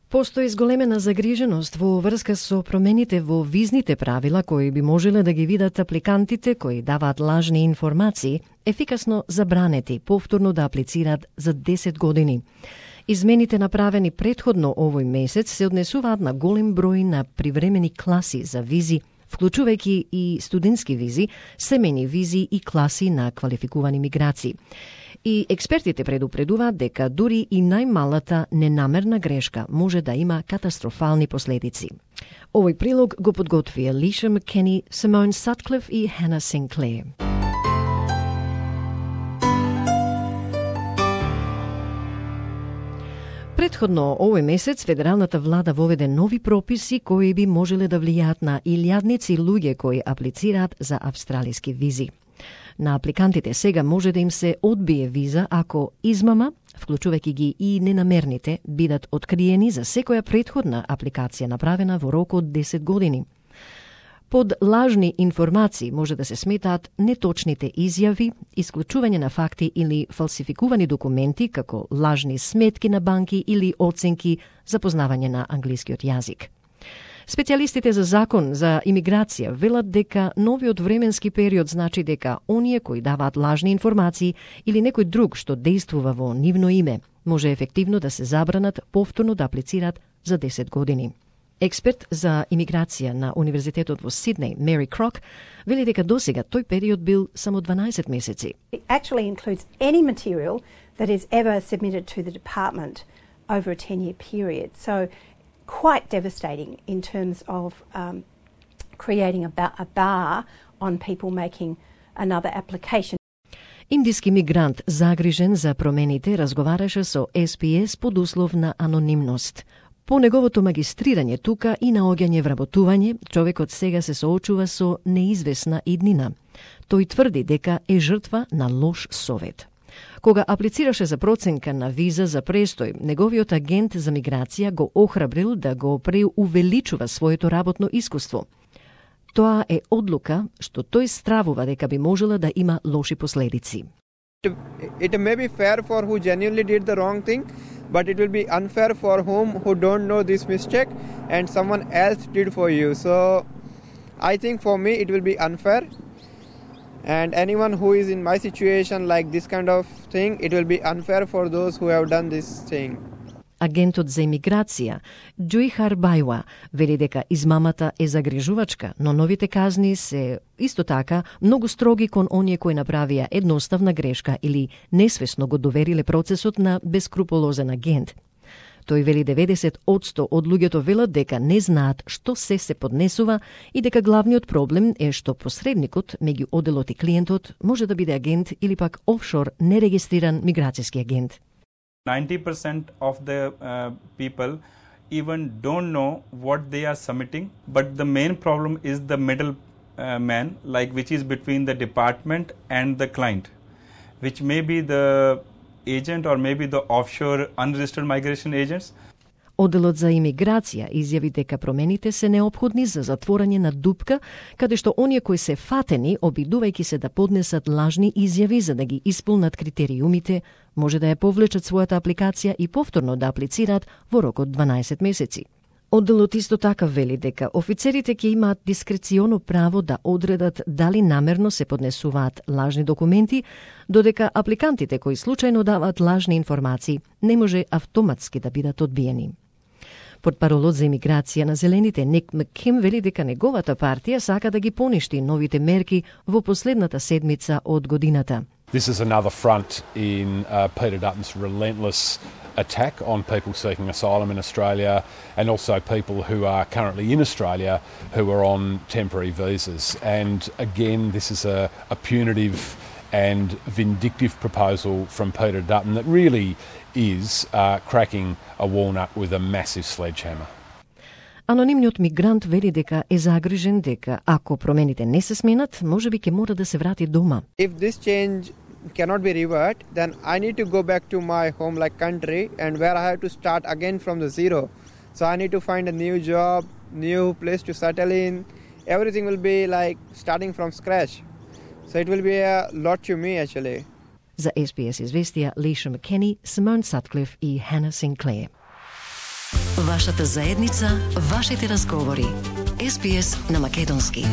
Постои зголемена загриженост во врска со промените во визните правила кои би можеле да ги видат апликантите кои даваат лажни информации, ефикасно забранети повторно да аплицираат за 10 години. Измените направени претходно овој месец се однесуваат на голем број на привремени класи за визи, вклучувајќи и студентски визи, семејни визи и класи на квалификувани миграции. И експертите предупредуваат дека дури и најмалата ненамерна грешка може да има катастрофални последици. Овој прилог го подготви Алиша Маккени, Симон Сатклиф и Хана Синклер. Претходно овој месец федералната влада воведе нови прописи кои би можеле да влијаат на илјадници луѓе кои аплицираат за австралиски визи. На апликантите сега може да им се одбие виза ако измама, вклучувајќи ги и ненамерните, бидат откриени за секоја претходна апликација направена во рок од 10 години. Под лажни информации може да се сметаат неточните изјави, исклучување на факти или фалсификувани документи како лажни сметки на банки или оценки за познавање на англискиот јазик. Специјалистите за закон за имиграција велат дека новиот временски период значи дека оние кои даваат лажни информации или некој друг што действува во нивно име може ефективно да се забранат повторно да аплицираат за 10 години. Експерт за имиграција на Универзитетот во Сиднеј, Мери Крок, вели дека досега тој период бил само 12 месеци. It actually includes any material that is ever submitted to the department over a 10-year period. So quite devastating in terms of creating a bar on people making another application. Индиски мигрант загрижен за промените разговараше со СПС под услов на анонимност. По неговото магистрирање тука и наоѓање вработување, човекот сега се соочува со неизвестна иднина. Тој тврди дека е жртва на лош совет. Кога аплицираше за проценка на виза за престој, неговиот агент за миграција го охрабрил да го преувеличува своето работно искуство. Тоа е одлука што тој стравува дека би можела да има лоши последици. It may be fair for who genuinely did the wrong thing, but it will be unfair for who don't know this mistake and someone else did for you. So I think for me it will be unfair. And anyone who is in my situation like this kind of thing, it will be unfair for those who have done this thing. Агентот за имиграција, Џуихар Бајуа, вели дека измамата е загрижувачка, но новите казни се исто така многу строги кон оние кои направија едноставна грешка или несвесно го довериле процесот на бескрупулозен агент. Тој вели 90% од луѓето велат дека не знаат што се поднесува и дека главниот проблем е што посредникот меѓу оделот и клиентот може да биде агент или пак офшор нерегистриран миграцијски агент. 90% of the people even don't know what they are submitting, but the main problem is the middle man, like which is between the department and the client, which may be the agent or maybe the offshore unregistered migration agents. Оделот за имиграција изјави дека промените се неопходни за затворање на дупка, каде што оние кои се фатени, обидувајќи се да поднесат лажни изјави за да ги исполнат критериумите, може да ја повлечат својата апликација и повторно да аплицираат во рок од 12 месеци. Одделот исто така вели дека офицерите ќе имаат дискреционо право да одредат дали намерно се поднесуваат лажни документи, додека апликантите кои случајно даваат лажни информации не може автоматски да бидат одбиени. Портпаролот за имиграција на Зелените Ник Макким вели дека неговата партија сака да ги поништи новите мерки во последната седмица од годината. This is another front in Peter Dutton's relentless attack on people seeking asylum in Australia and also people who are currently in Australia who are on temporary visas. And again, this is a punitive and vindictive proposal from Peter Dutton that really is cracking a walnut with a massive sledgehammer. Анонимниот мигрант вели дека е загрижен дека ако промените не се сменат, можеби ќе мора да се врати дома. If this change cannot be reversed, then I need to go back to my home like country and where I have to start again from the zero. So I need to find a new job, new place to settle in. Everything will be like starting from scratch. So it will be a lot to me actually. За SBS известија Алиша Маккени, Симон Сатклиф и Хана Синклер. Вашата заедница, вашите разговори. SBS на македонски.